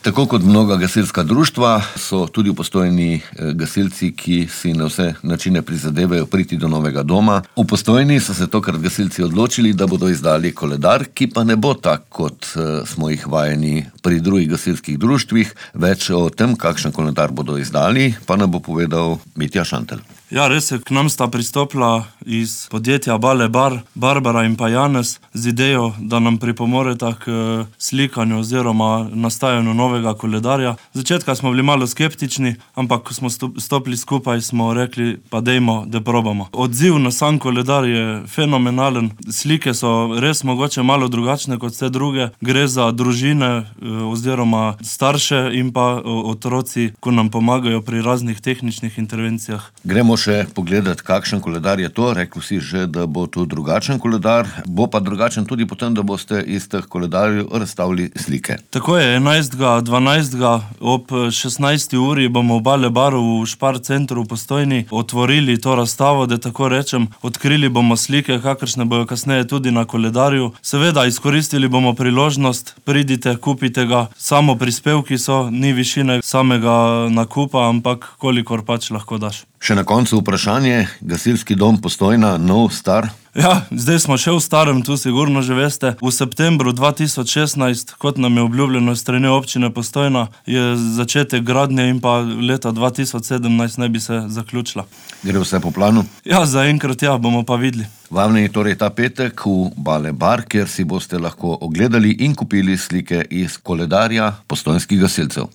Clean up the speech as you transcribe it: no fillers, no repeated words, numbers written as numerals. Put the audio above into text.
Tako kot mnoga gasilska društva so tudi v Postojni gasilci, ki si na vse načine prizadevajo priti do novega doma. V Postojni so se tokrat gasilci odločili, da bodo izdali koledar, ki pa ne bo tak, kot smo jih vajeni pri drugih gasilskih društvih. Več o tem, kakšen koledar bodo izdali, pa nam bo povedal Mitja Šantelj. Ja, res je, k nam sta pristopila iz podjetja Bale Bar, Barbara in pa Janez, z idejo, da nam pripomoreta k slikanju oziroma nastajanju novega koledarja. Začetka smo bili malo skeptični, ampak ko smo stopili skupaj, smo rekli, pa dejmo, da probamo. Odziv na sam koledar je fenomenalen. Slike so res mogoče malo drugačne kot vse druge. Gre za družine oziroma starše in pa otroci, ko nam pomagajo pri raznih tehničnih intervencijah. Gremo še pogledati, kakšen koledar je to. Rekli si že, da bo to drugačen koledar. Bo pa drugačen tudi potem, da boste iz teh koledarjev razstavili slike. Tako je, 11.12. ob 16. uri bomo v Bale Baru v Špar centru v Postojni otvorili to razstavo, da tako rečem. Odkrili bomo slike, kakršne bojo kasneje tudi na koledarju. Seveda, izkoristili bomo priložnost, pridite, kupite ga. Samo prispevki so, ni višine samega nakupa, ampak kolikor pač lahko daš. Še na koncu vprašanje, gasilski dom Postojna, nov, star? Ja, zdaj smo še v starem, tu sigurno že veste. V septembru 2016, kot nam je obljubljeno strani občine Postojna, je začetek gradnje in pa leta 2017 naj bi se zaključila. Gre vse po planu? Ja, zaenkrat ja, bomo pa videli. Vabljeni torej ta petek v Bale Bar, kjer si boste lahko ogledali in kupili slike iz koledarja postojnskih gasilcev.